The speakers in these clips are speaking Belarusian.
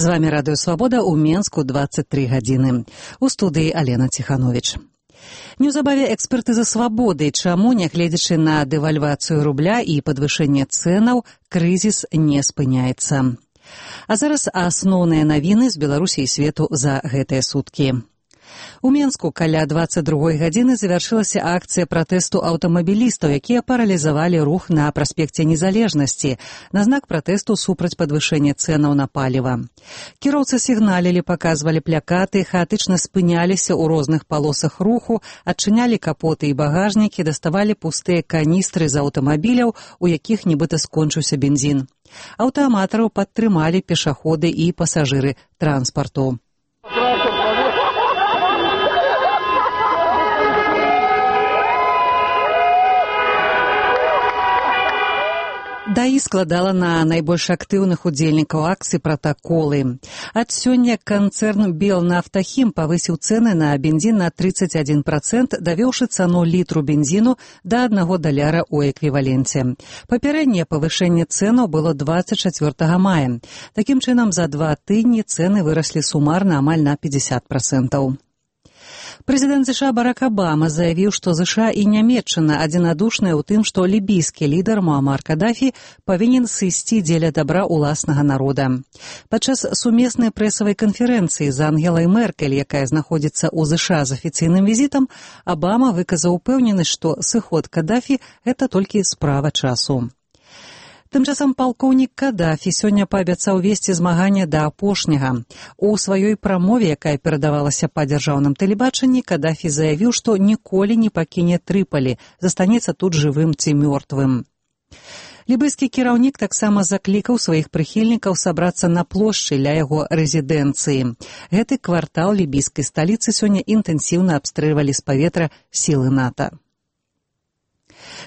З вами Радыё Свабода ў Менску 23 гадзіны. У студыі Алена Ціхановіч. Неўзабаве экспертыза свабоды, чаму, нягледзячы на дэвальвацыю рубля і падвышэнне цэнаў, крызіс не спыняецца. А зараз асноўныя навіны з Беларусі і свету за гэтыя суткі. У Менску каля 22 гадзіны завяршылася акцыя пратэсту аўтамабілістаў, якія паралізавалі рух на праспекце Незалежнасці на знак пратэсту супраць падвышэння цэнаў на паліва. Кіроўцы сігналілі, паказвалі плакаты, хаатычна спыняліся ў розных палосах руху, адчынялі капоты і багажнікі, даставалі пустыя каністры з аўтамабіляў, у якіх нібыта скончыўся бензін. Аўтааматараў падтрымалі пешаходы і пасажыры транспарту. ДАІ складала на найбольш актыўных удзельнікаў акцыі пратаколы. Ад сёння канцэрн Белнафтахім павысіў цэны на бензін на 31%, давёўшы цану літру бензіну да $1 ў эквіваленце. Папярэдняе павышэнне цэнаў было 24 мая. Такім чынам, за 2 тыдні цэны выраслі сумарна амаль на 50%. Прэзідэнт США Барак Абама заявіў, што США і Нямецчына адзінадушныя ў тым, што лібійскі лідар Муамар Кадафі павінен сысці дзеля дабра ўласнага народа. Падчас сумеснай прэсавай канферэнцыі з Ангелай Меркель, якая знаходзіцца ў США з афіцыйным візітам, Абама выказаў упэўненасць, што сыход Кадафі – гэта толькі справа часу. Тым часам палкоўнік Кадафі сёння паабяцаў весці змаганне да апошняга. У сваёй прамове, якая перадавалася па дзяржаўным тэлебачанні, Кадафі заявіў, што ніколі не пакіне Трыпалі, застанецца тут жывым ці мёртвым. Лібыйскі кіраўнік таксама заклікаў сваіх прыхільнікаў сабрацца на плошчы ля яго рэзідэнцыі. Гэты квартал лібійскай сталіцы сёння інтэнсіўна абстрэльвалі з паветра сілы НАТО.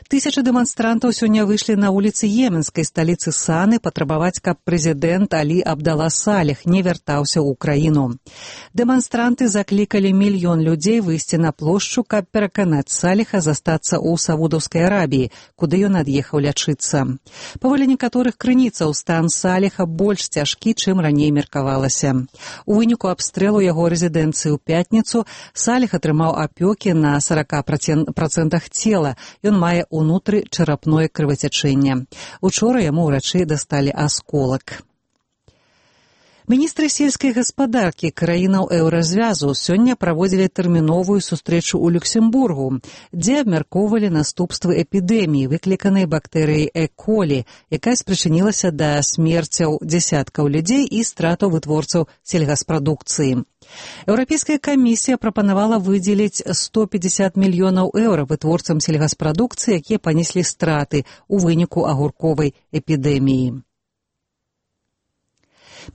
Тысячы дэманстрантаў сёння выйшлі на вуліцы Йеменскай сталіцы Саны патрабаваць, каб прэзідэнт Алі Абдала Салех не вяртаўся ў краіну. Дэманстранты заклікалі мільён людзей выйсці на плошчу, каб пераканаць Салеха застацца ў Саудаўскай Арабіі, куды ён ад'ехаў лячыцца. Паводле некаторых крыніцаў, стан Салеха больш цяжкі, чым раней меркавалася. У выніку абстрэлу яго рэзідэнцыі ў пятніцу Салех атрымаў апёкі на 40% цела. Ён мае ўнутры чарапное крывацячэнне. Учора яму ўрачы дасталі асколак. Міністры сельскай гаспадаркі краінаў еўразвязу сёння праводзілі тэрміновую сустрэчу ў Люксембургу, дзе абмяркоўвалі наступствы эпідэміі, выкліканай бактэрыяй Е. колі, якая спрычынілася да смерцяў дзясяткаў людзей і стратаў вытворцаў сельгаспрадукцыі. Еўрапейская камісія прапанавала выдзеліць 150 мільёнаў еўра вытворцам сельгаспрадукцыі, якія панеслі страты ў выніку агурковай эпідэміі.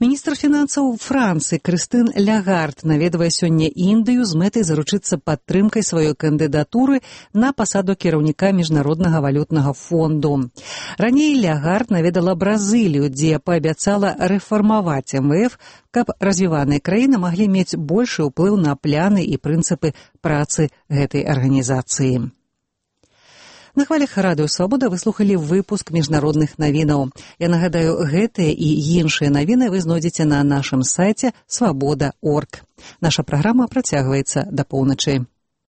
Міністр фінансаў Францыі Крыстын Лягард наведвае сёння Індыю з мэтай заручыцца падтрымкай сваёй кандыдатуры на пасаду кіраўніка Міжнароднага валютнага фонду. Раней Лягард наведала Бразылію, дзе паабяцала рэфармаваць МВФ, каб развіваныя краіны маглі мець большы ўплыў на пляны і прынцыпы працы гэтай арганізацыі. На хвалях Радыё Свабода вы слухалі выпуск міжнародных навінаў. Я нагадаю, гэтыя і іншыя навіны вы знойдзеце на нашым сайце swaboda.org. Наша праграма працягваецца да поўначы.